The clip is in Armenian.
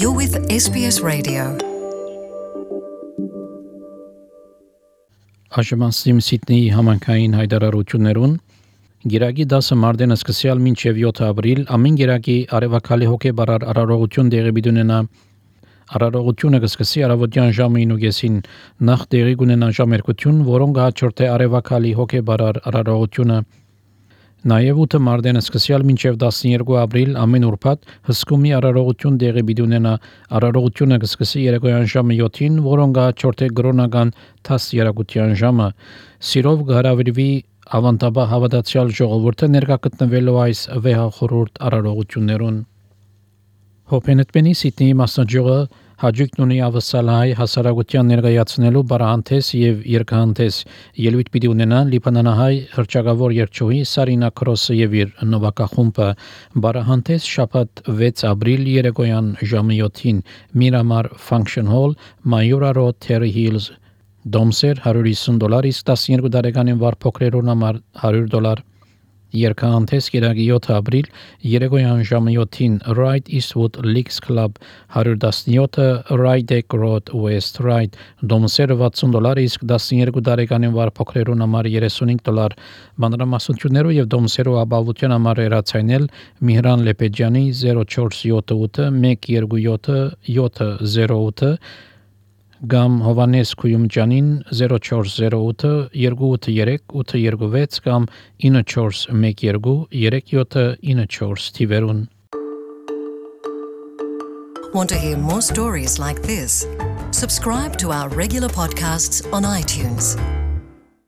You're with SBS Radio. Աշմասիմ Սիդնեի համանքային հայտարարություններուն Գիրագի 10 մարտին սկսյալ մինչև 7 ապրիլ ամեն գիրագի արևակալի հոգեբարար արարողություն դեղի բիդունենա Արարողությունը կսկսի առավոտյան ժամը 9:00-ին նախ դեղի կունենա ժամերկություն, որոնք հաջորդ է արևակալի հոգեբարար արարողությունը Նաև 8 մարտին սկսյալ մինչև 12 ապրիլ ամեն ուրբաթ հսկումի արարողություն դեղի բիդունենա Արարողությունը կսկսի երեկոյան ժամը 7-ին, որոնք հաջորդ է գրոնական 10 երեկոյան ժամը Սիրով կհրավիրվի ավանդաբար հավատացյալ ժողովուրդը ներկա գտնվելու այս վեհախորհուրդ արարողություններուն Հոփենետմենի Սիդնեի մասնաճյուղը հաջողություն ունի ավսալահայ հասարակության ներկայացնելու բարահանտես եւ երկհանտես ելույթ պիտի ունենա լիբանանահայ հրճակավոր երգչուհի Սարինա Քրոսը եւ իր նվագախումբը բարահանտես շաբաթ 6 ապրիլ երեկոյան ժամը 7-ին Miramar Function Hall Mayura Road Terry Hills Domser $150 իսկ 12 տարեկանին վար փոքրերուն համար $100 Երկհանտես գիրագի 7 ապրիլ երեկոյան ժամը 7-ին Right Eastwood Leagues Club 117 Rydeck Road West Ride Domsերը $60 իսկ 12 տարեկանին վար փոքրերուն համար $35 Մանրամասնություններով եւ Domսերու ապահովության համար երացայնել Միհրան Լեպեջյանի 0478 127 708 Գամ Հովանես Քույումջանին 0408 283 826 կամ 9412 3794 թիվերուն Want to hear more stories like this? Subscribe to our regular podcasts on iTunes.